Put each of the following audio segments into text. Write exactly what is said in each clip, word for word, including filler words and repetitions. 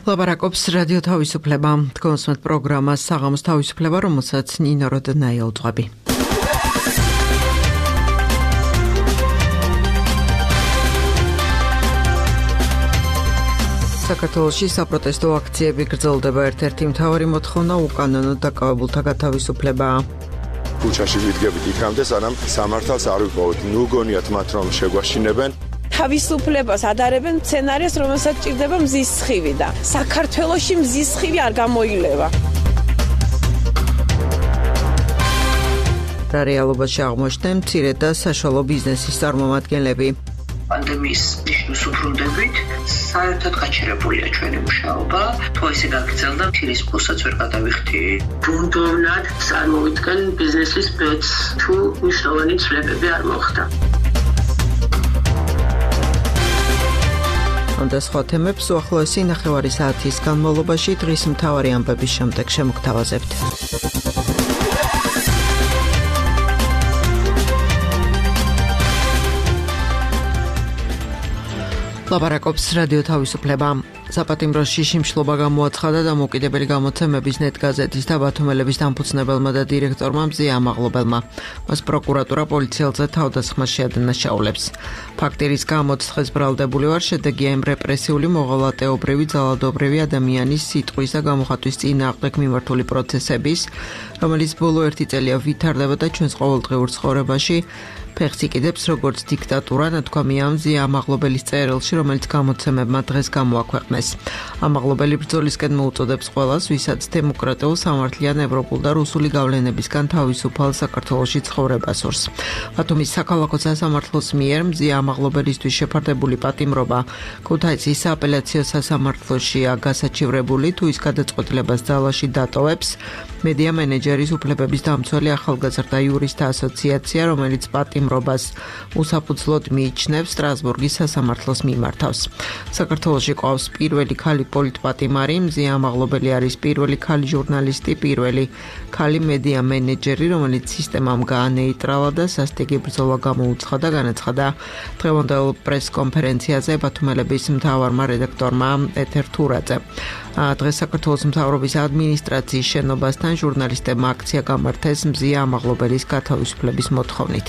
ლაპარაკობს რადიო თავისუფლება. თქვენსმეთ პროგრამას საღამოს თავისუფლება, რომელსაც ნინო როდნაია უძღვები. საქართველოში საპროტესტო აქციები გრძელდება. ერთ-ერთი მთავარი მოთხოვნა უკანონოდ დაკავებულთა გათავისუფლებაა. ქუჩაში ვიდგებით იქამდე, სანამ სამართალს არ ვიპოვოთ. ნუ გონიათ მათ რომ შეგვაშინებენ. თავისუფლებას ადარებენ სცენარეს, რომელსაც ჭირდება მზის სხივი და საქართველოში მზის სხივი არ გამოილევა. რა რეალობაში აღმოჩნდნენ მცირე და საშუალო ბიზნესის წარმომადგენლები. პანდემიის ნიშნულს უბრუნდებით, საერთოდ გაჩერებულია ჩვენი მუშაობა, თუ ესე გაგრძელდა, ფირის ფულსაც ვერ გადავიხდი. ბუნდოვნად წარმოვიდგენ ბიზნესის ბედს, თუ მნიშვნელოვანი ცვლილებები არ მოხდა. და სხვა თემებს უახლოესი ნახევარი საათის განმავლობაში დღის მთავარი ამბების შემდეგ შემოგთავაზებთ. ლაპარაკობს რადიო თავისუფლება. საპატიმროში შიმშლობა გამოაცხადა დამოუკიდებელი გამოცემების ნეტ გაზეთის და ბათუმელების დამფუძნებელმა და დირექტორმა მზია ამაღლობელმა. მას პროკურატურა პოლიციელზე თავდასხმას შეადანაშაულებს. ფაქტი, რის გამოც დღეს ბრალდებული ვარ, შედეგია იმ რეპრესიული, მოღალატეობრივი, ძალადობრივი ადამიანის სიტყვის და გამოხატვის წინააღმდეგ მიმართული პროცესების, რომელიც ბოლო ერთი წელია ვითარდება და ჩვენს ყოველდღიურ ცხოვრებაში ფეხს იკიდებს როგორც დიქტატურა, ნათქვამია მზია ამაღლობელის წერილში, რომელიც გამოცემებმა დღეს გამოაქვეყნეს. ამაღლობელი ბრძოლისკენ მოუწოდებს ყველას, ვისაც დემოკრატიულ, სამართლიან, ევროპულ და რუსული გავლენებისგან თავისუფალ საქართველოში ცხოვრება სურს. ბათუმის საქალაქო სასამართლოს მიერ მზია ამაღლობელისთვის შეფარდებული პატიმრობა ქუთაისის სააპელაციო სასამართლოშია გასაჩივრებული, თუ ის გადაწყვეტილებას ძალაში დატოვებს. მედია მენეჯერის უფლებების დამცველი ახალგაზრდა იურისტთა ასოციაცია, რომელიც პატიმრობას უსაფუძვლოდ მიიჩნევს, სტრასბურგის სასამართლოს მიმართავს. საქართველოში ყავს პირველი ქალი პოლიტპატიმარი, მზია ამაღლობელი არის პირველი ქალი ჟურნალისტი, პირველი ქალი მედია მენეჯერი, რომელიც სისტემამ გაანეიტრალა და სასტიკი ბრძოლა გამოუცხადა, განაცხადა დღევანდელ პრესკონფერენციაზე ბათუმელების მთავარმა რედაქტორმა ეთერ თურაძე. დღეს საქართველოს მთავრობის ადმინისტრაციის შენობასთან ჟურნალისტებმა აქცია გამართეს მზია ამაღლობელის გათავისუფლების მოთხოვნით.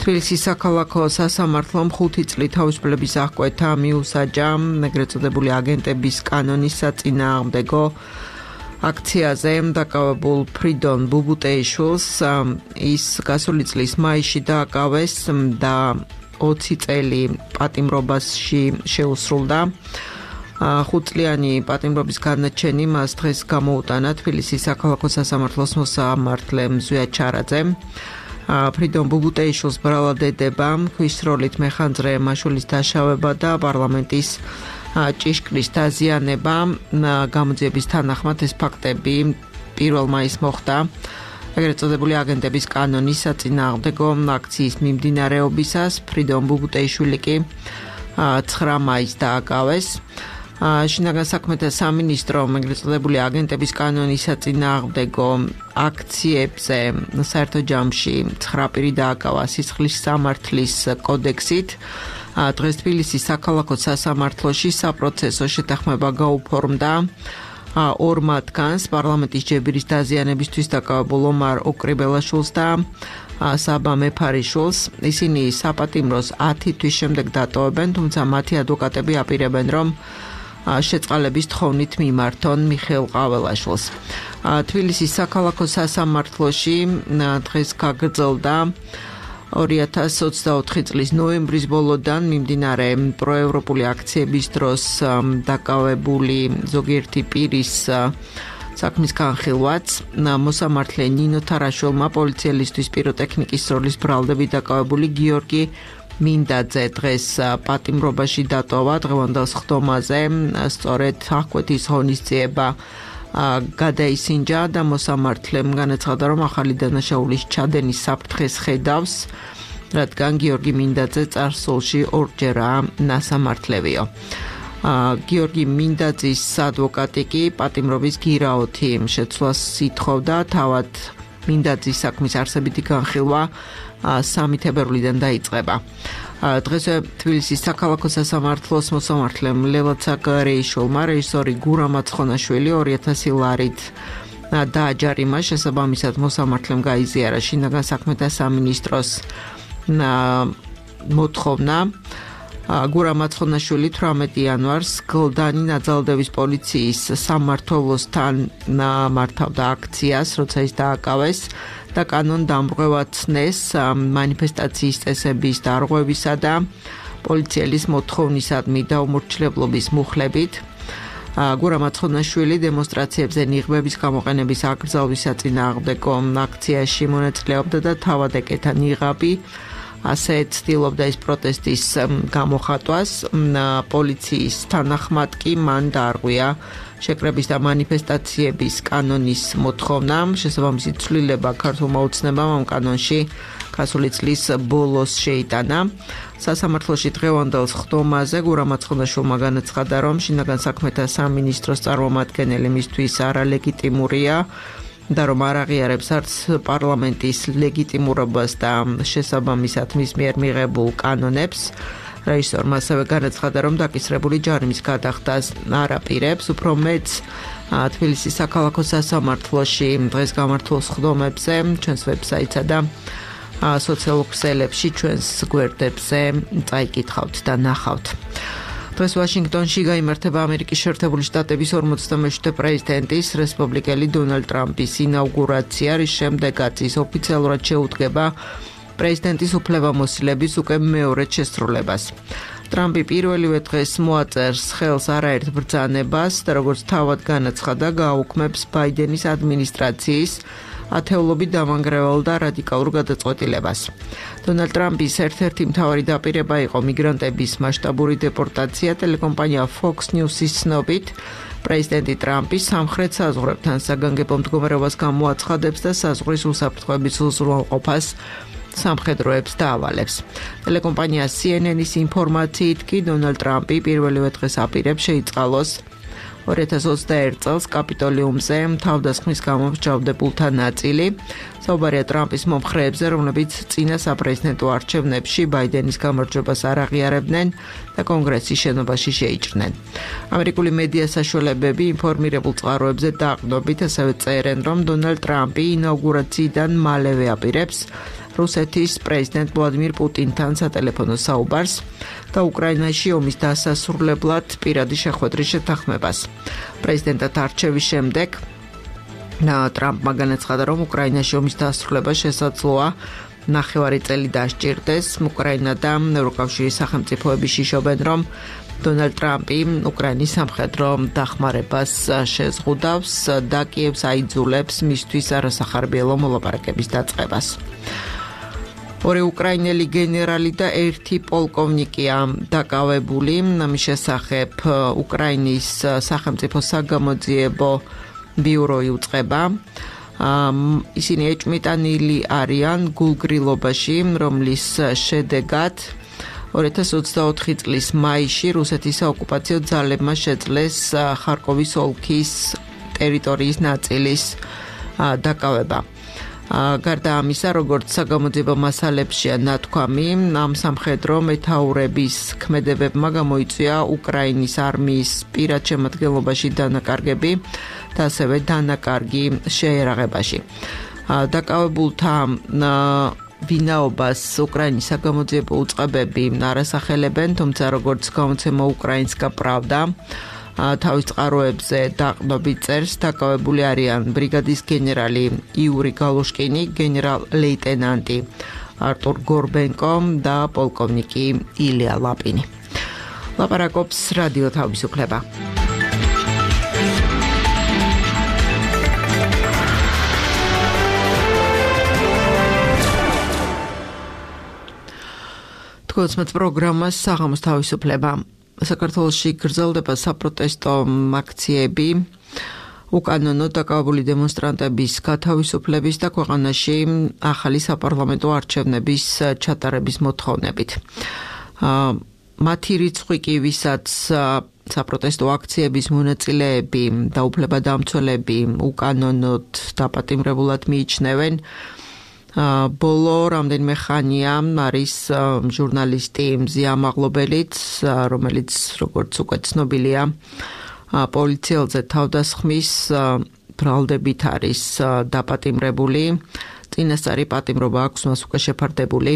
თბილისის საქალაქო სასამართლომ ხუთი წლით თავისუფლების აღკვეთა მიუსაჯა ეგრეთ წოდებული აგენტების კანონის საწინააღმდეგო აქციაზე დაკავებულ ფრიდონ ბუბუტეიშვილს. ის გასული წლის მაისში დააკავეს და ოცი წელი პატიმრობაში შეუსრულდა. ხუთწლიანი პატიმრობის განაჩენი მას დღეს გამოუტანა თბილისის საქალაქო სასამართლოს მოსამართლე მზვია ჩარაძემ. ფრიდონ ბუბუტეიშვილს ბრალად ედება ქვის როლით მეხანძრე მაშულის დაშავება და პარლამენტის ჭიშკრის დაზიანება. გამოძიების თანახმად ეს ფაქტები პირველ მაისს მოხდა ეგრეთ წოდებული აგენტების კანონის საწინააღმდეგო აქციის მიმდინარეობისას. ფრიდონ ბუბუტეიშვილი კი ცხრა მაისს დააკავეს. შინაგან საქმეთა სამინისტრო ეგრეთ წოდებული აგენტების კანონის საწინააღმდეგო აქციებზე საერთო ჯამში ცხრა პირი დააკავა სისხლის სამართლის კოდექსით. დღეს თბილისის საქალაქო სასამართლოში საპროცესო შეთანხმება გაუფორმდა ორ მათგანს, პარლამენტის ჯებირის დაზიანებისთვის დაკავებულ ომარ ოკრიბელაშვილს და საბა მეფარიშვილს. ისინი საპატიმროს ათი თვის შემდეგ დატოვებენ, თუმცა მათი ადვოკატები აპირებენ, რომ შეწყალების თხოვნით მიმართონ მიხეილ ყაველაშვილს. თბილისის საქალაქო სასამართლოში დღეს გაგრძელდა ორი ათას ოცდაოთხი წლის ნოემბრის ბოლოდან მიმდინარე პროევროპული აქციების დროს დაკავებული ზოგიერთი პირის საქმის განხილვაც. მოსამართლე ნინო თარაშვილმა პოლიციელისთვის პიროტექნიკის სროლის ბრალდებით დაკავებული გიორგი მინდაძე დღეს პატიმრობაში დატოვა. დღევანდელ სხდომაზე სწორედ აღკვეთის ღონისძიება გადაისინჯა და მოსამართლემ განაცხადა, რომ ახალი დანაშაულის ჩადენის საფრთხეს ხედავს, რადგან გიორგი მინდაძე წარსულში ორჯერაა ნასამართლევიო. გიორგი მინდაძის ადვოკატი კი პატიმრობის გირაოთი შეცვლას ითხოვდა, თავად მინდაძის საქმის არსებითი განხილვა სამი თებერვლიდან დაიწყება. დღესვე თბილისის საქალაქო სასამართლოს მოსამართლემ ლევად საგარეიშვილმა რეჟისორი გურამ აცხონაშვილი ორი ათასი ლარით დააჯარიმა. შესაბამისად მოსამართლემ გაიზიარა შინაგან საქმეთა სამინისტროს მოთხოვნა. გურამ აცხონაშვილი თვრამეტი იანვარს გლდანი ნაძალდევის პოლიციის სამმართველოსთან მართავდა აქციას, როცა ის დააკავეს და კანონ დამრღვევაცნეს მანიფესტაციის წესების დარღვევისა და პოლიციელის მოთხოვნისადმი დაუმორჩილებლობის მუხლებით. გურამ აცხონაშვილი დემონსტრაციებზე ნიღბების გამოყენების აკრძალვის საწინააღმდეგო აქციაში მონაწილეობდა და თავად ეკეთა ნიღაბი. ასე ცდილობდა ის პროტესტის გამოხატვას. პოლიციის თანახმად კი მან დაარღვია შეკრების და მანიფესტაციების კანონის მოთხოვნა. შესაბამისი ცვლილება ქართულმა ოცნებამ ამ კანონში გასული წლის ბოლოს შეიტანა. სასამართლოში დღევანდელ სხდომაზე გურამ აცხონაშვილმა განაცხადა, რომ შინაგან საქმეთა სამინისტროს წარმომადგენელი მისთვის არალეგიტიმურია და რომ არ აღიარებს არც პარლამენტის ლეგიტიმურობას და შესაბამისად მის მიერ მიღებულ კანონებს. რეჟისორმა ასევე განაცხადა, რომ დაკისრებული ჯარიმის გადახდას არ აპირებს. უფრო მეც თბილისის საქალაქო სასამართლოში დღეს გამართულ სხდომებზე ჩვენს ვებსაიტსა და სოციალურ ქსელებში ჩვენს გვერდებზე წაიკითხავთ და ნახავთ. დღეს ვაშინგტონში გაიმართება ამერიკის შეერთებული შტატების ორმოცდამეშვიდე პრეზიდენტის რესპუბლიკელი დონალდ ტრამპის ინაუგურაცია, რის შემდეგაც ის ოფიციალურად შეუდგება პრეზიდენტის უფლებამოსილების უკვე მეორედ შესრულებას. ტრამპი პირველივე დღეს მოაწერს ხელს არაერთ ბრძანებას და როგორც თავად განაცხადა, გააუქმებს ბაიდენის ადმინისტრაციის ათეულობით დამანგრევალ და რადიკალურ გადაწყვეტილებას. დონალდ ტრამპის ერთ-ერთი მთავარი დაპირება იყო მიგრანტების მასშტაბური დეპორტაცია. ტელეკომპანია Fox News-ის ცნობით, პრეზიდენტი ტრამპი სამხრეთ საზღვრებთან საგანგებო მდგომარეობას გამოაცხადებს და საზღვრის უსაფრთხოების უზრუნველყოფას სამხედროებს დაავალებს. ტელეკომპანია C N N-ის ინფორმაციით კი დონალდ ტრამპი პირველივე დღეს აპირებს შეიწყალოს ორი ათას ოცდაერთ წელს კაპიტოლიუმზე თავდასხმის გამო მსჯავრდებულთა ნაწილი. საუბარია ტრამპის მომხრეებზე, რომლებიც წინა საპრეზიდენტო არჩევნებში ბაიდენის გამარჯვებას არ აღიარებდნენ და კონგრესის შენობაში შეიჭრნენ. ამერიკული მედია საშუალებები ინფორმირებულ წყაროებზე დაყრდნობით ასევე წერენ, რომ დონალდ ტრამპი ინაუგურაციიდან მალევე აპირებს რუსეთის პრეზიდენტ ვლადიმირ პუტინთან სატელეფონო საუბარს და უკრაინაში ომის დასასრულებლად პირადი შეხვედრის შეთანხმებას. პრეზიდენტად არჩევის შემდეგ ტრამპმა განაცხადა, რომ უკრაინაში ომის დასრულება შესაძლოა ნახევარი წელი დასჭირდეს. უკრაინა და ევროკავშირის სახელმწიფოები შიშობენ, რომ დონალდ ტრამპი უკრაინის სამხედრო დახმარებას შეზღუდავს და კიევს აიძულებს მისთვის არასახარბიელო მოლაპარაკების დაწყებას. ორი უკრაინელი გენერალი და ერთი პოლკოვნიკია დაკავებული. ამის შესახებ უკრაინის სახელმწიფო საგამოძიებო ბიურო იუწყება. ისინი ეჭმიტანილი არიან გულგრილობაში, რომლის შედეგად ორი ათას ოცდაოთხი წლის მაისში რუსეთის საოკუპაციო ძალებმა შეძლეს ხარკოვის ოლქის ტერიტორიის ნაწილის დაკავება. გარდა ამისა, როგორც საგამოძიებო მასალებშია ნათქვამი, ამ სამხედრო მეთაურების ქმედებებმა გამოიწვია უკრაინის არმიის პირად შემადგენლობაში დანაკარგები და ასევე დანაკარგი შეერაღებაში. დაკავებულთა ვინაობას უკრაინის საგამოძიებო უწყებები არასახელებენ, თუმცა როგორც გამოცემა უკრაინსკა პრავდა თავის წყაროებზე დაყრდნობით წერს, დაკავებული არიან ბრიგადის გენერალი იური გალუშკინი, გენერალ-ლეიტენანტი არტურ გორბენკო და პოლკოვნიკი ილია ლაპინი. ლაპარაკობს რადიო თავისუფლება. თქოსმეთ პროგრამას საღამოს თავისუფლება. საქართველოში გრძელდება საპროტესტო აქციები უკანონო დაკავებული დემონსტრანტების გათავისუფლების და ქვეყანაში ახალი საპარლამენტო არჩევნების ჩატარების მოთხოვნებით. მათი რიცხვი კი, ვისაც საპროტესტო აქციების მონაწილეები და უფლებადამცველები უკანონოდ დაპატიმრებულად მიიჩნევენ. ბოლო რამდენიმე ხანია არის ჟურნალისტი მზია მაღლობელიც, რომელიც როგორც უკვე ცნობილია, პოლიციელზე თავდასხმის ბრალდებით არის დაპატიმრებული. წინასწარი პატიმრობა აქვს მას უკვე შეფარდებული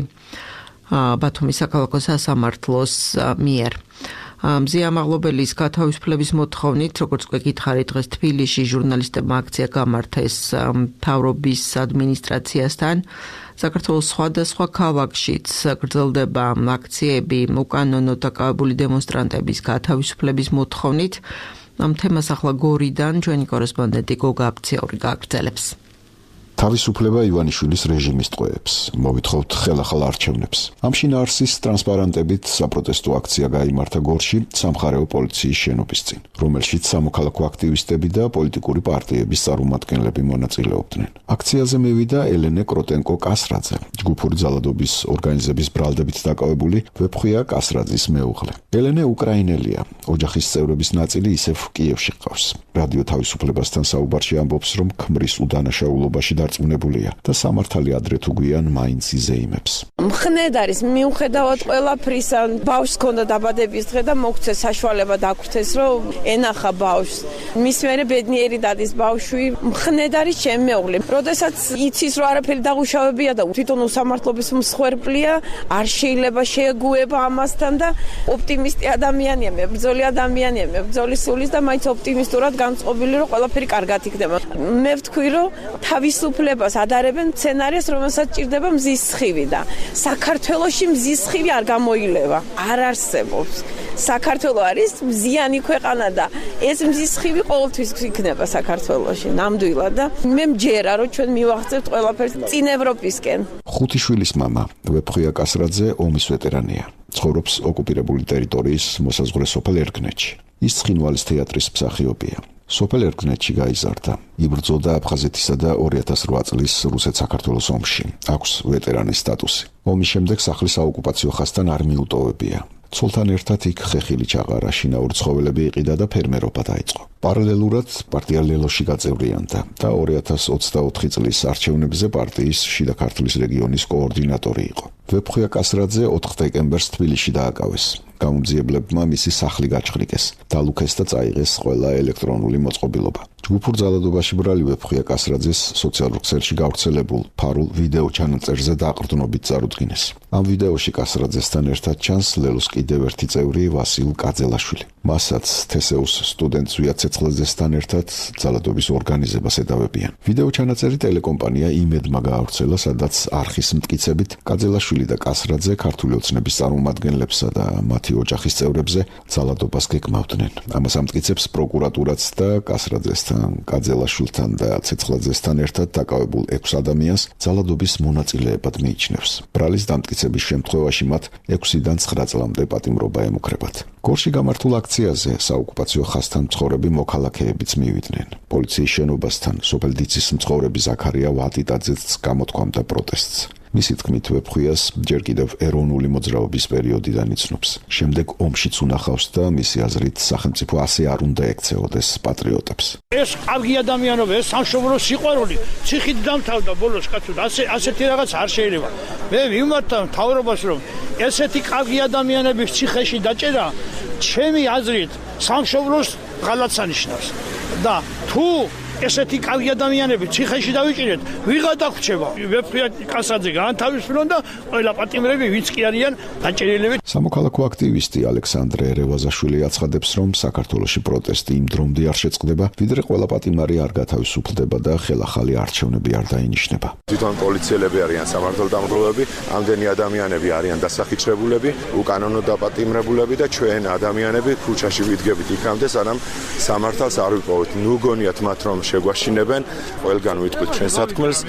ბათუმის საქალაქო სასამართლოს მიერ. მზია მაღლობელის გათავისუფლების მოთხოვნით, როგორც უკვე გითხარით, დღეს თბილისში ჟურნალისტებმა აქცია გამართეს მთავრობის ადმინისტრაციასთან. საქართველოს სხვადასხვა ქალაქშიც გრძელდება აქციები უკანონოდ დაკავებული დემონსტრანტების გათავისუფლების მოთხოვნით. ამ თემას ახლა გორიდან ჩვენი კორესპონდენტი გოგა აბციური გააგრძელებს. თავისუფლება ივანიშვილის რეჟიმის ტყვეებს, მოვითხოვთ ხელახალ არჩევნებს. ამ შინაარსის ტრანსპარანტებით საპროტესტო აქცია გაიმართა გორში სამხარეო პოლიციის შენობის წინ, რომელშიც სამოქალაქო აქტივისტები და პოლიტიკური პარტიების წარმომადგენლები მონაწილეობდნენ. აქციაზე მივიდა ელენე კროტენკო-კასრაძე, ჯგუფური ძალადობის ორგანიზების ბრალდებით დაკავებული ვეფხვია კასრაძის მეუღლე. ელენე უკრაინელია, ოჯახის წევრების ნაწილი ისევ კიევში ყავს. რადიო თავისუფლებასთან საუბარში ამბობს, რომ ქმრის უდანაშაულობაში დარწმუნებულია და სამართალი ადრე თუ გვიან მაინც იზეიმებს. მხნედ არის მიუხედავად ყველაფრისა, ბავშვს ჰქონდა დაბადების დღე და მოგცე საშუალება დაგვრთეს, რომ ენახა ბავშვს. მის მერე ბედნიერი დადის ბავშვი, მხნედ არის ჩემი მეუღლე. როდესაც იცის, რომ არაფერი დაღუშავებია და თვითონ უსამართლობის მსხვერპლია, არ შეიძლება შეეგუება ამასთან და ოპტიმისტი ადამიანია, მებრძოლი ადამიანია, მებრძოლი სულის და მაინც ოპტიმისტურად განწყობილი, რომ ყველაფერი კარგად იქნება. მე ვთქვი, რომ თავისუფლებას ადარებენ სცენარიას, რომელსაც ჭირდება მზის სხივი და საქართველოში მზის სხივი არ გამოილევა, არ არსებობს. საქართველო არის მზიანი ქვეყანა და ეს მზის სხივი ყოველთვის იქნება საქართველოში, ნამდვილად და მე მჯერა, რომ ჩვენ მივახცევთ ყველაფერს წინ ევროპისკენ. ხუთი შვილის მამა, ვეფხვია კასრაძე ომის ვეტერანია. ცხოვრობს ოკუპირებული ტერიტორიის მოსაზღვრე სოფელ ერგნეთში. ის ცხინვალის თეატრის მსახიობია. სოფელ ერგნეთში გაიზარდა. იბრძოდა აფხაზეთისა და ორი ათას რვა წლის რუსეთ-საქართველოს ომში. აქვს ვეტერანის სტატუსი. ომის შემდეგ სახლის საოკუპაციო ხაზთან არ მიუტოვებია. ცოლთან ერთად იქ ხეხილი ჩაყარა, შინაური ცხოველები იყიდა და ფერმერობა დაიწყო. პარალელურად პარტია ლელოში გაწევრიანდა და ორი ათას ოცდაოთხი წლის არჩევნებზე პარტიის შიდა ქართლის რეგიონის კოორდინატორი იყო. ვეფხვია კასრაძე ოთხ დეკემბერს თბილისში დააკავეს. გამომძიებლებმა მისი სახლი გაჩხრიკეს, დალუქეს და წაიღეს ყველა ელექტრონული მოწყობილობა. ჯგუფურ ძალადობაში ბრალი ვეფხვია კასრაძეს სოციალურ ქსელში გავრცელებულ ფარულ ვიდეო ჩანაწერზე დაყრდნობით წარუდგინეს. ამ ვიდეოში კასრაძესთან ერთად ჩანს ლელოს კიდევ ერთი წევრი ვასილ კაძელაშვილი. მასაც თესეუს სტუდენტ ზვია ცეცხლაძესთან ერთად ძალადობის ორგანიზებას ედავებიან. ვიდეო ჩანაწერი ტელეკომპანია იმედმა გაავრცელა, სადაც არხის მტკიცებით კაძელაშვილი და კასრაძე ქართული ოცნების წარმომადგენლებსა და მათი ოჯახის წევრებზე ძალადობას გეკმავდნენ. ამას ამტკიცებს პროკურატურაც და კასრაძესთან, კაძელაშვილთან და ცეცხლაძესთან ერთად დაკავებულ ექვს ადამიანს ძალადობის მონაწილეებად მიიჩნევს. ბრალის დამტკიცების შემთხვევაში მათ ექვსიდან ცხრა წლამდე პატიმრობა ემუქრებათ. გორში გამართულ აქციაზე საოკუპაციო ხაზთან მცხოვრები მოქალაქეებიც მივიდნენ. პოლიციის შენობასთან სოფელ დიცის მცხოვრები ზაქარია ვატიტაძეც გამოთქვამდა პროტესტს. მისი თქმით, ვეფხვიას ჯერ კიდევ ეროვნული მოძრაობის პერიოდიდან იცნობს. შემდეგ ომშიც უნახავს და მისი აზრით სახელმწიფო ასე არ უნდა ექცეოდეს პატრიოტებს. ეს კარგი ადამიანობა, ეს სამშობლოს სიყვარული, ციხით დამთავრდა ბოლოს კაცო, ასე ასეთი რაღაც არ შეიძლება. მე ვიმართა მთავრობას, რომ ესეთი კარგი ადამიანების ციხეში დაჭერა, ჩემი აზრით, სამშობლოს ღალატს ანიშნავს. და თუ ესეთი კარგი ადამიანები ციხეში დავიჭირეთ, ვიღა დაგვრჩება. ვეფხვია კასრაძე გაანთავისუფლონ და ყველა პატიმრები ვინც კი არიან დაჭერილები. სამოქალაქო აქტივისტი ალექსანდრე რევაზაშვილი აცხადებს, რომ საქართველოში პროტესტი იმ დრომდე არ შეწყდება, ვიდრე ყველა პატიმარი არ გათავისუფლდება და ხელახალი არჩევნები არ დაინიშნება. თვითონ პოლიციელები არიან სამართალდამღვრელები, ამდენი ადამიანები არიან დასახიჩრებულები, უკანონოდ დაპატიმრებულები და ჩვენ ადამიანები ქუჩაში ვიდგებით იქამდე, სანამ სამართალს არ ვიპოვეთ. ნუ გონიათ მათ, რომ შეგვაშინებენ, ყველგან ვიტყვით ჩვენ სათქმელს,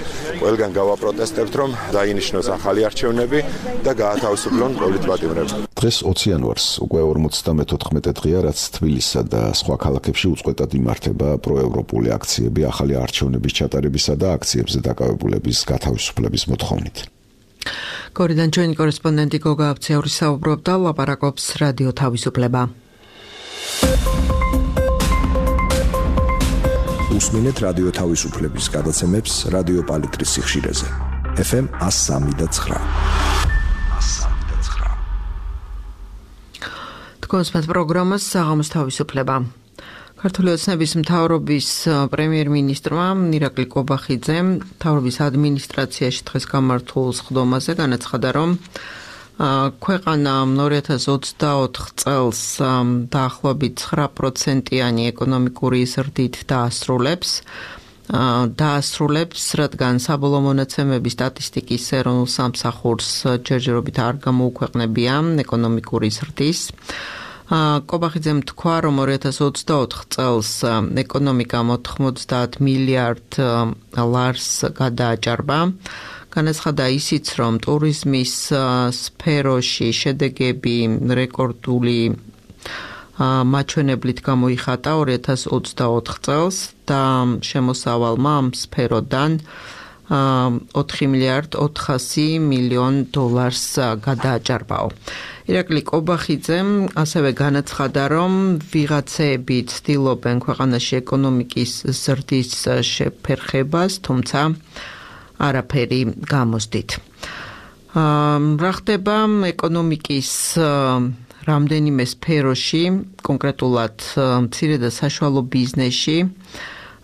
ყველგან გავაპროტესტებთ, რომ დაინიშნოს ახალი არჩევნები და გაათავისუფლონ პოლიტპატიმრები. დღეს ოცი იანვარს უკვე ორმოცდამეთოთხმეტე დღეა, რაც თბილისსა და სხვა ქალაქებში უწყვეტად იმართება პროევროპული აქციები ახალი არჩევნების ჩატარებისა და აქციებზე დაკავებულების გათავისუფლების მოთხოვნით. გორიდან ჩვენი კორესპონდენტი გოგა აბციური საუბრობდა, ლაპარაკობს რადიო თავისუფლება. უსმინეთ რადიო თავისუფლების გადაცემებს რადიო პალიტრის სიხშირეზე. ეფ ემ one oh three point nine. თქვენს პროგრამას საღამოს თავისუფლება. ქართული ოცნების მთავრობის პრემიერ-მინისტრმა ირაკლი კობახიძემ მთავრობის ადმინისტრაციაში დღეს გამართულ სხდომაზე განაცხადა, რომ ქვეყანა ორი ათას ოცდაოთხ წელს დაახლოებით ცხრა პროცენტიანი ეკონომიკური ზრდით დაასრულებს. დაასრულებს, რადგან საბოლოო მონაცემები სტატისტიკის ეროვნულ სამსახურს ჯერჯერობით არ გამოუქვეყნებია ეკონომიკური ზრდის. კობახიძემ თქვა, რომ ორი ათას ოცდაოთხ წელს ეკონომიკამ ოთხმოცდაათ მილიარდ ლარს გადააჭარბა. განაცხადა ისიც, რომ ტურიზმის სფეროში შედეგები რეკორდული მაჩვენებლით გამოიხატა ორი ათას ოცდაოთხ წელს და შემოსავალმა ამ სფეროდან ოთხი მილიარდ ოთხასი მილიონ დოლარს გადააჭარბაო. ირაკლი კობახიძემ ასევე განაცხადა, რომ ვიღაცები ცდილობენ ქვეყანაში ეკონომიკის ზრდის შეფერხებას, თუმცა არაფერი გამოსდით. რა ხდება ეკონომიკის რამდენიმე სფეროში, კონკრეტულად მცირე და საშუალო ბიზნესში,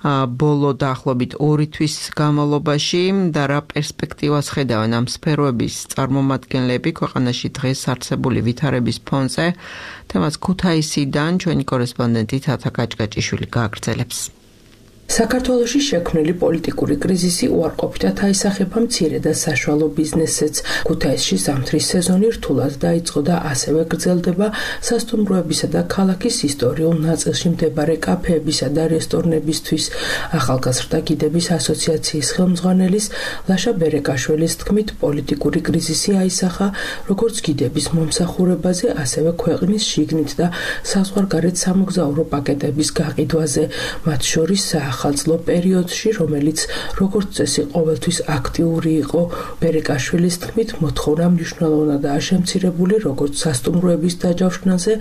ბოლო დაახლოებით ორი თვის განმავლობაში და რა პერსპექტივას ხედავენ ამ სფეროების წარმომადგენლები ქვეყანაში დღეს არსებული ვითარების ფონზე, თემას ქუთაისიდან ჩვენი კორესპონდენტი თათა კაჭკაჭიშვილი გააგრძელებს. საქართველოში შექმნილი პოლიტიკური კრიზისი უარყოფითად აისახება მცირე და საშუალო ბიზნესებს. ქუთაისში ზამთრის სეზონი რთულად დაიწყო და ასევე გრძელდება სასტუმროებისა და ქალაქის ისტორიულ ნაწილში მდებარე კაფეებისა და რესტორნებისთვის. ახალგაზრდა გიდების ასოციაციის ხელმძღვანელის ლაშა ბერეკაშვილის თქმით, პოლიტიკური კრიზისი აისახა როგორც გიდების მომსახურებაზე, ასევე ქვეყნის შიგნით და საზღვარგარეთ სამოგზაურო პაკეტების გაყიდვაზე, მათ შორის ახალწლო პერიოდში, რომელიც როგორც წესი ყოველთვის აქტიური იყო. ბერეკაშვილის თქმით, მოთხოვნა მნიშვნელოვნადაა შემცირებული როგორც სასტუმროების დაჯავშნაზე,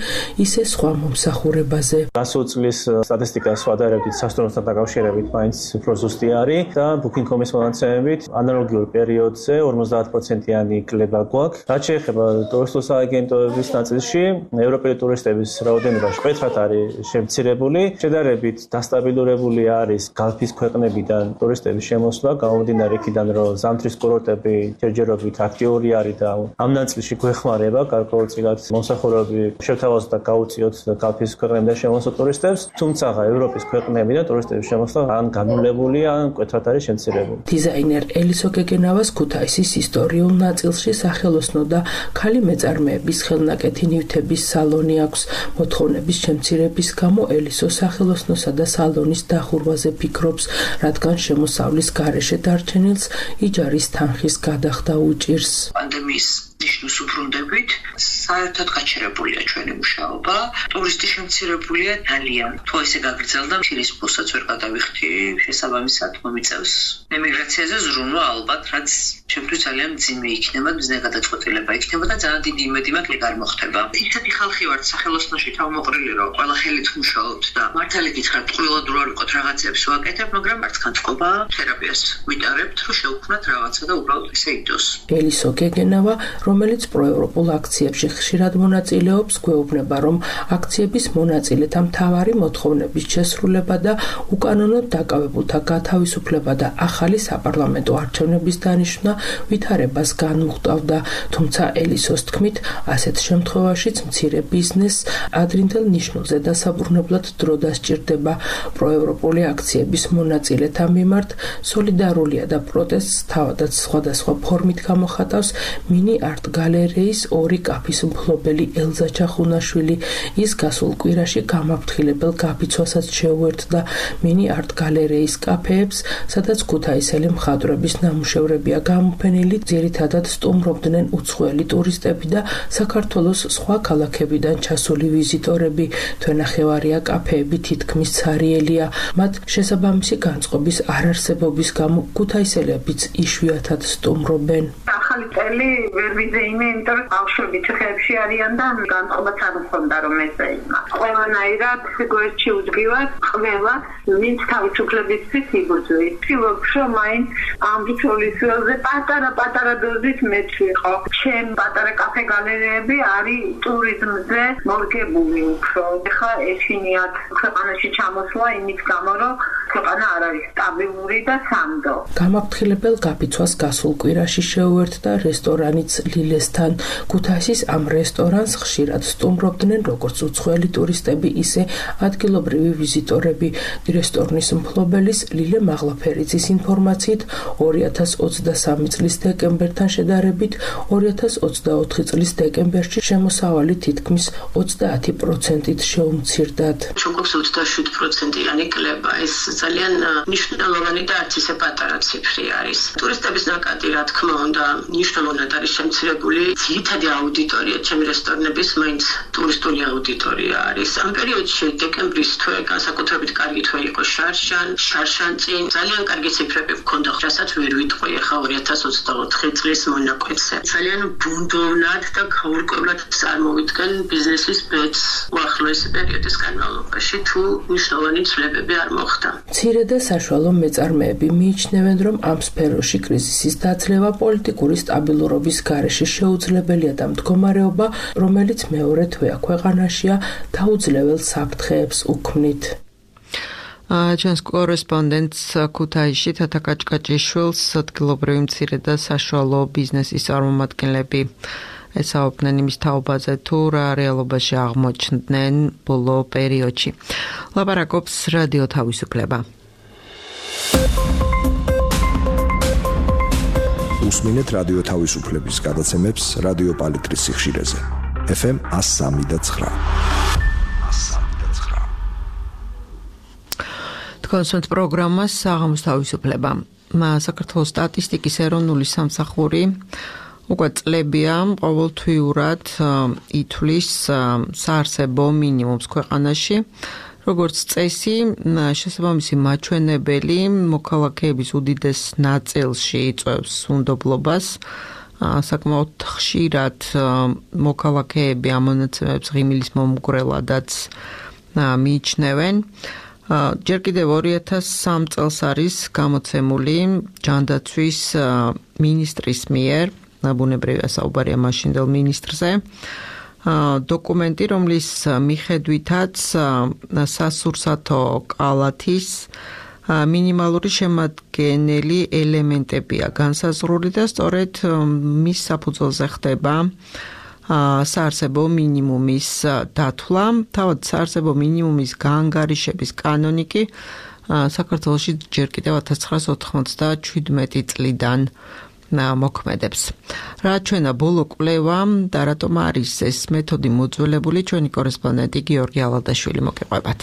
ისე სხვა მომსახურებაზე. გასულ წლის სტატისტიკას ვადარებთ სასტუმროებთან დაკავშირებით მაინც უფრო ზუსტი არის და ბუკინგ კომ ის მონაცემებით ანალოგიურ პერიოდზე ორმოცდაათ პროცენტიანი კლება გვაქვს. რაც შეეხება ტურისტულ სააგენტოების ნაწილში, ევროპელი ტურისტების რაოდენობა მკვეთრად არის შემცირებული, შედარებით დასტაბილურებული არის გალფის ქვეყნებიდან ტურისტების შემოსვლა, გამომდინარე იქიდან, რომ ზამთრის კურორტები ჯერჯერობით აქტიური არის და ამ ნაწილში გვეხმარება გარკვეულწილად მომსახურები შევთავაზოთ და გაუწიოთ გალფის ქვეყნებიდან შემოსულ ტურისტებს, თუმცა ევროპის ქვეყნებიდან ტურისტების შემოსვლა ან განულებულია, ან მკვეთრად არის შემცირებული. დიზაინერ ელისო გეგენავას ქუთაისის ისტორიულ ნაწილში სახელოსნო და ქალი მეწარმეების ხელნაკეთი ნივთების სალონი აქვს. მოთხოვნების შემცირების გამო ელისო სახელოსნოსა და სალონის დახურვაზე ფიქრობს, რადგან შემოსავლის გარეშე დარჩენილს იჯარის თანხის გადახდა უჭირს. პანდემიის ნიშნავს უბრუნდებით, საერთოდ გაჩერებულია ჩვენი მუშაობა, ტურისტი შემცირებულია ძალიან. თუ ესე გაგრძელდა, ფირის ფულსაც ვერ გადავიხდი, შესაბამისად მომიწევს ემიგრაციაზე ზრუნვა ალბათ, რაც ჩემთვის ძალიან მძიმე იქნება, მძიმე გადაწყვეტილება იქნება და ძალიან დიდი იმედი მაქვს ეგ არ მოხდება. ისეთი ხალხი ვართ სახელოსნოში თავმოყრილი, რომ ყველა ხელით მუშაობთ და მართალი გითხრათ, ყრილად რო არ ვიყოთ რაღაცებს ვაკეთებ, მაგრამ არც განწყობა თერაპიას ვიტარებთ, რომ შევქმნათ რაღაცა და უბრალოდ ისე იდოს. ელისო გეგენავა, რომელიც პროევროპულ აქციებში ხშირად მონაწილეობს, გვეუბნება, რომ აქციების მონაწილეთა მთავარი მოთხოვნების შესრულება და უკანონოდ დაკავებულთა გათავისუფლება და ახალი საპარლამენტო არჩევნების დანიშვნა ვითარებას განუხტავდა. თუმცა ელისოს თქმით, ასეთ შემთხვევაშიც მცირე ბიზნესს ადრინდელ ნიშნულზე დასაბრუნებლად დრო დასჭირდება. პროევროპული აქციების მონაწილეთა მიმართ სოლიდარულია და პროტესტს თავადაც სხვადასხვა ფორმით გამოხატავს მინი არტ გალერეის ორი კაფის მფლობელი ელზა ჩახუნაშვილი. ის გასულ კვირაში გამაფრთხილებელ გაფიცვასაც შეუერთდა მინი არტ გალერეის კაფეებს, სადაც ქუთაისელი მხატვრების ნამუშევრებია გამოფენილი, ძირითადად სტუმრობდნენ უცხოელი ტურისტები და საქართველოს სხვა ქალაქებიდან ჩასული ვიზიტორები. თვენახევარია კაფეები თითქმის ცარიელია, მათ შესაბამისი განწყობის არარსებობის გამო ქუთაისელებიც იშვიათად სტუმრობენ. ახალი წელი ვერ ვიზეიმე, იმიტომ რომ ბავშვები ციხეებში არიან და განწყობაც არ მქონდა რომ ესეიმა. ყველანაირად გვერდში უძგივად ყველა ვინც თავისუფლებისთვის იბრძვის. ვთქვი რომ მაინც ამ ბრძოლის ველზე პატარა-პატარა დოზით მეც ვიყო. ჩემ პატარა კაფე გალერეები არის ტურიზმზე მორგებული უფრო. ეხლა ეშინიათ ქვეყანაში ჩამოსვლა იმის გამო, რომ ქვეყანა არ არის სტაბილური და სანდო. გამაფრთხილებელ გაფიცვას გასულ კვირაში შეუერთდა რესტორანიც ლილესთან. ქუთაისის ამ რესტორანს ხშირად სტუმრობდნენ როგორც უცხოელი ტურისტები, ისე ადგილობრივი ვიზიტორები. რესტორნის მფლობელის ლილე მაღლაფერიძის ინფორმაციით ორი ათას ოცდასამი წლის დეკემბერთან შედარებით ორი ათას ოცდაოთხი წლის დეკემბერში შემოსავალი თითქმის ოცდაათი პროცენტით შეუმცირდათ. ჩოկობს ოცდაშვიდი პროცენტიანი კლება. ეს ძალიან მნიშვნელოვანი და არც ისე პატარა ციფრი არის. ტურისტების ნაკადი, რა თქმა უნდა, მნიშვნელოვნად არის შემცირებული. ძირითადი აუდიტორია ჩემი რესტორნების მაინც ტურისტული აუდიტორია არის. ამ პერიოდში დეკემბრის თვე განსაკუთრებით კარგი თვე იყო შარშან, შარშანწინ ძალიან კარგი ციფრები მქონდა, რასაც ვერ ვიტყვი ახლა ორი ათას ოცდაოთხი წლის მონაკვეთზე. ძალიან ბუნდოვნად და გაურკვევლად წარმოვიდგენ ბიზნესის ბედს უახლოესი პერიოდის განმავლობაში, თუ მნიშვნელოვანი ცვლილებები არ მოხდა. მცირე და საშუალო მეწარმეები მიიჩნევენ, რომ ამ სფეროში კრიზისის დაძლევა პოლიტიკური სტაბილურობის გარეშე შეუძლებელია და მდგომარეობა, რომელიც მეორე თვეა ქვეყანაშია, დაუძლებელ საფრთხეებს უქმნით. ჩვენს კორესპონდენტს ქუთაისში თათა კაჭკაჭიშვილს ადგილობრივი მცირე და საშუალო ბიზნესის წარმომადგენლები ესაუბრნენ იმის თაობაზე, თუ რა რეალობაში აღმოჩნდნენ ბოლო პერიოდში. ლაპარაკობს რადიო თავისუფლება. უსმინეთ რადიო თავისუფლების გადაცემებს რადიო პალიტრის სიხშირეზე. ეფ ემ one oh three და nine. კონსულტ პროგრამას საღამოს თავისუფლება. საქართველოს სტატისტიკის ეროვნული სამსახური უკვე წლებია ყოველთვიურად ითვლის საარსებო მინიმუმს ქვეყანაში. როგორც წესი, შესაბამისი მაჩვენებელი მოქალაქეების უდიდეს ნაწილში იწვევს უნდობლობას. საკმაოდ ხშირად მოქალაქეები ამ მონაცემებს ღიმილის მომგვრელადაც მიიჩნევენ. ჯერ კიდევ ორი ათას სამი წელს არის გამოცემული ჯანდაცვის მინისტრის მიერ, ბუნებრივია საუბარია მაშინდელ მინისტრზე, დოკუმენტი, რომლის მიხედვითაც სასურსათო კალათის მინიმალური შემადგენელი ელემენტებია განსაზღვრული და სწორედ მის საფუძველზე ხდება საარსებო მინიმუმის დათვლა. თავად საარსებო მინიმუმის გაანგარიშების კანონი კი საქართველოში ჯერ კიდევ ათას ცხრაასი ოთხმოცდაჩვიდმეტი წლიდან მოქმედებს. რა ჩვენა ბოლო კვლევა და რატომ არის ეს მეთოდი მოძველებული, ჩვენი კორესპონდენტი გიორგი ალადაშვილი მოგეყვებათ.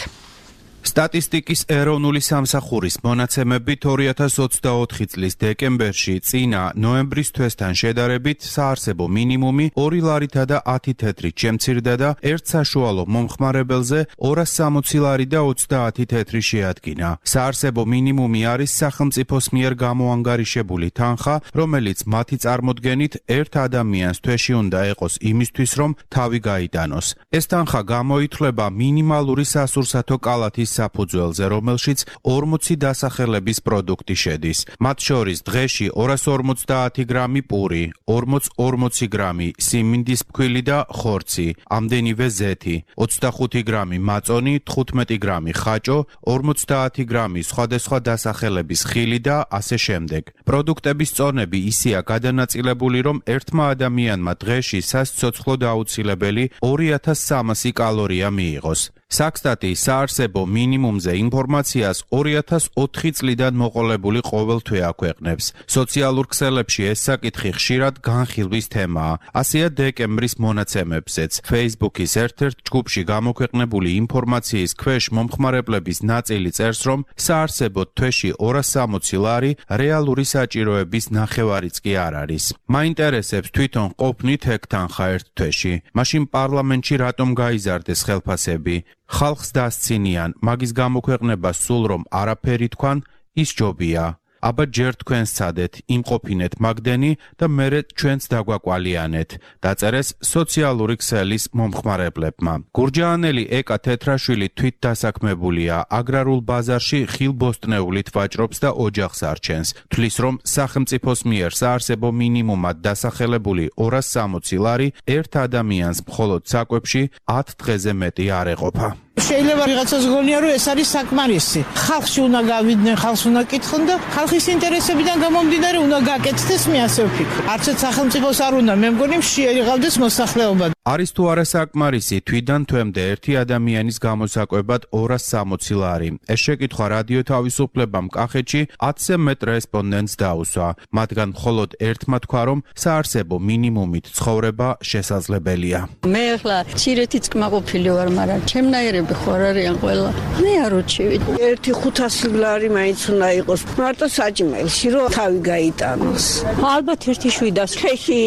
სტატისტიკის ეროვნული სამსახურის მონაცემებით ორი ათას ოცდაოთხი წლის დეკემბერში წინა ნოემბრის თვესთან შედარებით საარსებო მინიმუმი ორი ლარითა და ათი თეთრით შემცირდა და ერთ საშუალო მომხმარებელზე ორას სამოცი ლარი და ოცდაათი თეთრი შეადგინა. საარსებო მინიმუმი არის სახელმწიფოს მიერ გამოანგარიშებული თანხა, რომელიც მათი წარმოდგენით ერთ ადამიანს თვეში უნდა ეყოს იმისთვის, რომ თავი გაიტანოს. ეს თანხა გამოითვლება მინიმალური სასურსათო კალათის საფუძველზე, რომელშიც ორმოცი დასახელების პროდუქტი შედის. მათ შორის დღეში ორას ორმოცდაათი გრამი პური, ორმოც ორმოცი გრამი სიმინდის ფქვილი და ხორცი, ამდენივე ზეთი, ოცდახუთი გრამი მაწონი, თხუთმეტი გრამი ხაჭო, ორმოცდაათი გრამი სხვადასხვა დასახელების ხილი და ასე შემდეგ. პროდუქტების წონები ისეა გადანაწილებული, რომ ერთმა ადამიანმა დღეში სასიცოცხლოდ აუცილებელი ორი ათას სამასი კალორია მიიღოს. საქსტატი საარსებო მინიმუმზე ინფორმაციას ორი ათას ოთხი წლიდან მოყოლებული ყოველთვე აქვეყნებს. სოციალურ ქსელებში ეს საკითხი ხშირად განხილვის თემაა. ასეა დეკემბრის მონაცემებზეც. Facebook-ის ერთ-ერთ ჯგუფში გამოქვეყნებული ინფორმაციის ქვეშ მომხმარებლების ნაწილი წერს, რომ საარსებოდ თვეში ორას სამოცი ლარი რეალური საჭიროების ნახევარიც კი არ არის. მაინტერესებს თვითონ ყოფნით ეგ თანხა ერთ თვეში. მაშინ პარლამენტში რატომ გაიზარდეს ხელფასები? ხალხს დასცინიან, მაგის გამოქვეყნება სულ რომ არაფერი თქვან, ის ჯობია. აბა ჯერ თქვენ სცადეთ, იმყოფინეთ მაგდენი და მერე ჩვენც დაგვაკვალიანეთ, დაწერეს სოციალური ქსელის მომხმარებლებმა. გურჯაანელი ეკა თეთრაშვილი თვით დასაქმებულია, აგრარულ ბაზარში ხილბოსტნეულით ვაჭრობს და ოჯახს არჩენს. თვლის რომ სახელმწიფოს მიერ საარსებო მინიმუმად დასახელებული ორას სამოცი ლარი ერთ ადამიანს მხოლოდ საკვებში ათ დღეზე მეტი არ ეყოფა. შეიძლება ვიღაცას გონია რომ ეს არის საკმარისი. ხალხში უნდა გავიდნენ, ხალხს უნდა კითხონ და ხალხის ინტერესებიდან გამომდინარე უნდა გაკეთდეს, მე ასე ვფიქრობ. არცეთ სახელმწიფოს არ უნდა, მე მგონი შეერიღავდეს მოსახლეობა. არის თუ არა საკმარისი, თვიდან თვემდე ერთი ადამიანის გამოსაკვებად ორას სამოცი ლარი. ეს შეკითხვა რადიო თავისუფლებამ კახეთში ათზე მეტ რესპონდენტს დაუსვა. მათგან მხოლოდ ერთმა თქვა, რომ საარსებო მინიმუმით ცხოვრება შესაძლებელია. მე ახლა ცირეთიც კმაყოფილი ვარ, მაგრამ ჩემნაირები ხوار არიან ყველა. მე არ უჩივით. ერთი ხუთასი ლარი მაინც უნდა იყოს. მარტო საჭმელში რომ თავი გაიტანოს. ალბათ ერთი შვიდას. ხეში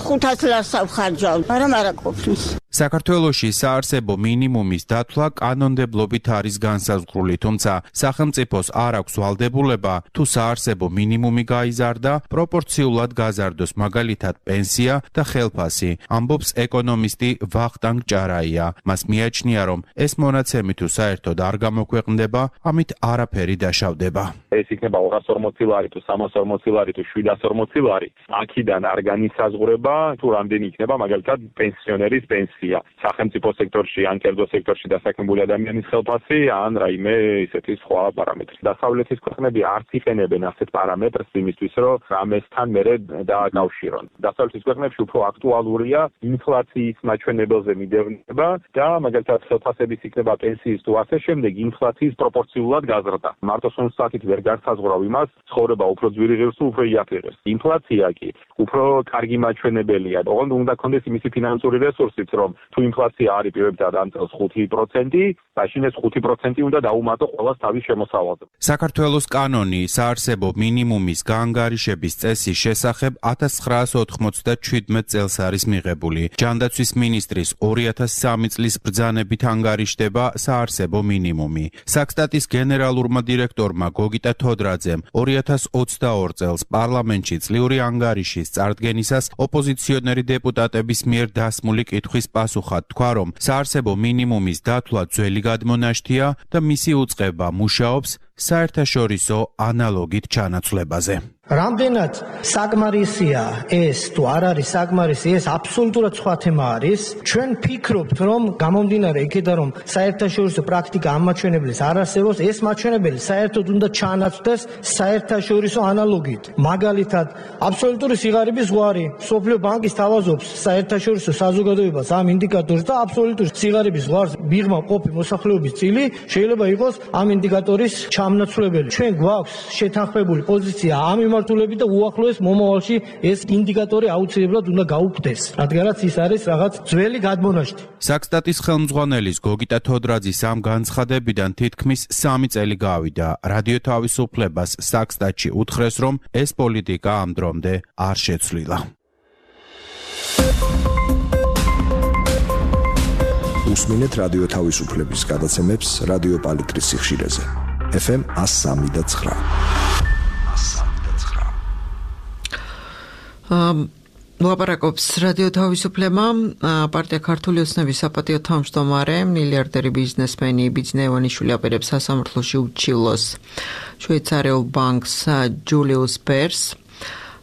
ხუთას ლარს ავხარჯავ, მაგრამ არა ყოფნის. საქართველოში საარსებო მინიმუმის დათვლა კანონმდებლობით არის განსაზღვრული, თუმცა სახელმწიფოს არ აქვს ვალდებულება თუ საარსებო მინიმუმი გაიზარდა, პროპორციულად გაზარდოს მაგალითად პენსია და ხელფასი, ამბობს ეკონომისტი ვახტანგ ჭარაია. მას მიაჩნია, რომ ეს მონაცემი თუ საერთოდ არ გამოქვეყნდება, ამით არაფერი დაშავდება. ეს იქნება ორას ორმოცი ლარი თუ სამას ორმოცი ლარი თუ შვიდას ორმოცი ლარი. აქედან არ განისაზღვრება თუ რამდენი იქნება მაგალითად პენსიონერის პენსია. სახელმწიფო სექტორში ან კერძო სექტორში დასაქმებული ადამიანის ხელფასი ან რაიმე ისეთი სხვა პარამეტრი. დასავლეთის ქვეყნები არც იყენებენ ასეთ პარამეტრს იმისთვის, რომ რამესთან მერე დააკავშირონ. დასავლეთის ქვეყნებში უფრო აქტუალურია ინფლაციის მაჩვენებელზე მიდევნება და მაგალითად ხელფასების იქნება პენსიის თუ ასე შემდეგ ინფლაციის პროპორციულად გაზრდა. მარტო სუნსაკით ვერ განსაზღვრავ იმას, ცხოვრება უფრო ძვირი ღირს თუ უფრო იაფი ღირს. ინფლაცია კი უფრო კარგი მაჩვენებელია. ოღონდ უნდა კონდეს იმისი ფინანსური რესურსიც, რომ თუ ინფლაცია არის პირობითად ამ წელს ხუთი პროცენტი, მაშინ ეს ხუთი პროცენტი უნდა დაუმატო ყოველს თავის შემოსავალზე. საქართველოს კანონი საარსებო მინიმუმის გაანგარიშების წესის შესახებ ათას ცხრაას ოთხმოცდაჩვიდმეტ წელს არის მიღებული. ჯანდაცვის მინისტრის ორი ათას სამი წლის ბრძანებით ანგარიშდება საარსებო მინიმუმი. საქსტატის გენერალურმა დირექტორმა გოგიტა თოდრაძემ ორი ათას ოცდაორ წელს პარლამენტში წლიური ანგარიშის წარდგენისას ოპოზიციონერი დეპუტატების მიერ დასმული კითხვის პასუხად თქვა, რომ საარსებო მინიმუმის დათვლა ძველი გადმონაშთია და მისი უწყება მუშაობს საერთაშორისო ანალოგით ჩანაცვლებაზე. რამდენად საკმარისია ეს თუ არ არის საკმარისი, ეს აბსოლუტურად სხვა თემა არის. ჩვენ ფიქრობთ, რომ გამომდინარე იქიდან, რომ საერთაშორისო პრაქტიკა ამ მაჩვენებლის არ არსებობს, ეს მაჩვენებელი საერთოდ უნდა ჩანაცვლდეს საერთაშორისო ანალოგით. მაგალითად, აბსოლუტური სიღარიბის ზღვარი, მსოფლიო ბანკი სთავაზობს საერთაშორისო საზოგადოებას ამ ინდიკატორს და აბსოლუტური სიღარიბის ზღვარს მიღმა ყოფი მოსახლეობის წილი შეიძლება იყოს ამ ინდიკატორის ჩამნაცვლებელი. ჩვენ გვაქვს შეთანხმებული პოზიცია ამ მიმართულებით და უახლოეს მომავალში ეს ინდიკატორი აუცილებლად უნდა გაუქმდეს, რადგანაც ის არის რაღაც ძველი გადმონაშთი. საქსტატის ხელმძღვანელის გოგიტა თოდრაძის ამ განცხადებიდან თითქმის სამი წელი გავიდა. რადიო თავისუფლებას საქსტატში უთხრეს, რომ ეს პოლიტიკა ამ დრომდე არ შეცვლილა. უსმინეთ რადიო თავისუფლების გადაცემებს რადიო პალიტრის სიხშირეზე. ეფ ემ ას სამი და ცხრა. ლაპარაკობს რადიო თავისუფლება. პარტია ქართული ოცნების საპატიო თავმჯდომარე, მილიარდერი ბიზნესმენი ბიძინა ივანიშვილი აპირებს სასამართლოში უჩივლოს შვეიცარიულ ბანკს ჯულიუს ბერს.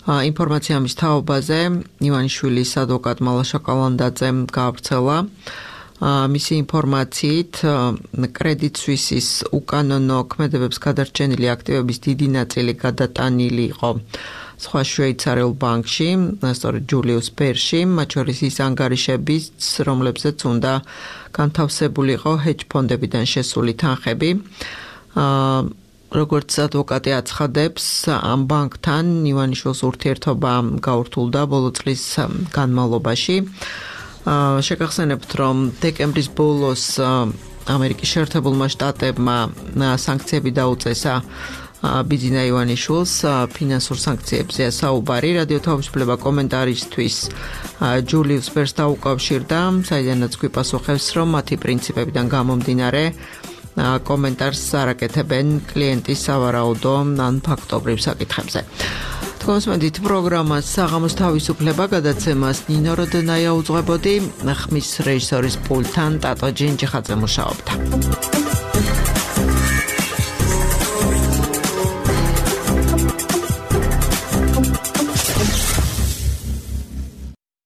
ინფორმაცია ამის თაობაზე ივანიშვილის ადვოკატმა ლაშა კალანდაძემ გაავრცელა. მისი ინფორმაციით კრედიტ სუისის უკანონო ქმედებებს გადარჩენილი აქტივების დიდი ნაწილი გადატანილი იყო სხვა შვეიცარიულ ბანკში, სწორედ ჯულიუს ბერში, მათ შორის ის ანგარიშებიც, რომლებზეც უნდა განთავსებული იყო ჰედჯ ფონდებიდან შესული თანხები. როგორც ადვოკატი აცხადებს, ამ ბანკთან ივანიშვილს ურთიერთობა გაურთულდა ბოლო წლის განმავლობაში. შეგახსენებთ, რომ დეკემბრის ბოლოს ამერიკის შეერთებულმა შტატებმა სანქციები დაუწესა ბიძინა ივანიშვილს, ფინანსურ სანქციებზეა საუბარი. რადიო თავისუფლება კომენტარისთვის ჯულიუს ბერს დაუკავშირდა, საიდანაც გვიპასუხებს, რომ მათი პრინციპებიდან გამომდინარე კომენტარს არაკეთებენ კლიენტის სავარაუდო ან ფაქტობრივ საკითხებზე. Თქვენსმენთ პროგრამას საღამოს თავისუფლება გადაცემას ნინო როდონაია უძღვებოდი, ხმის რეჟისორის პულტთან ტატო ჯინჯიხაძე მუშაობდა.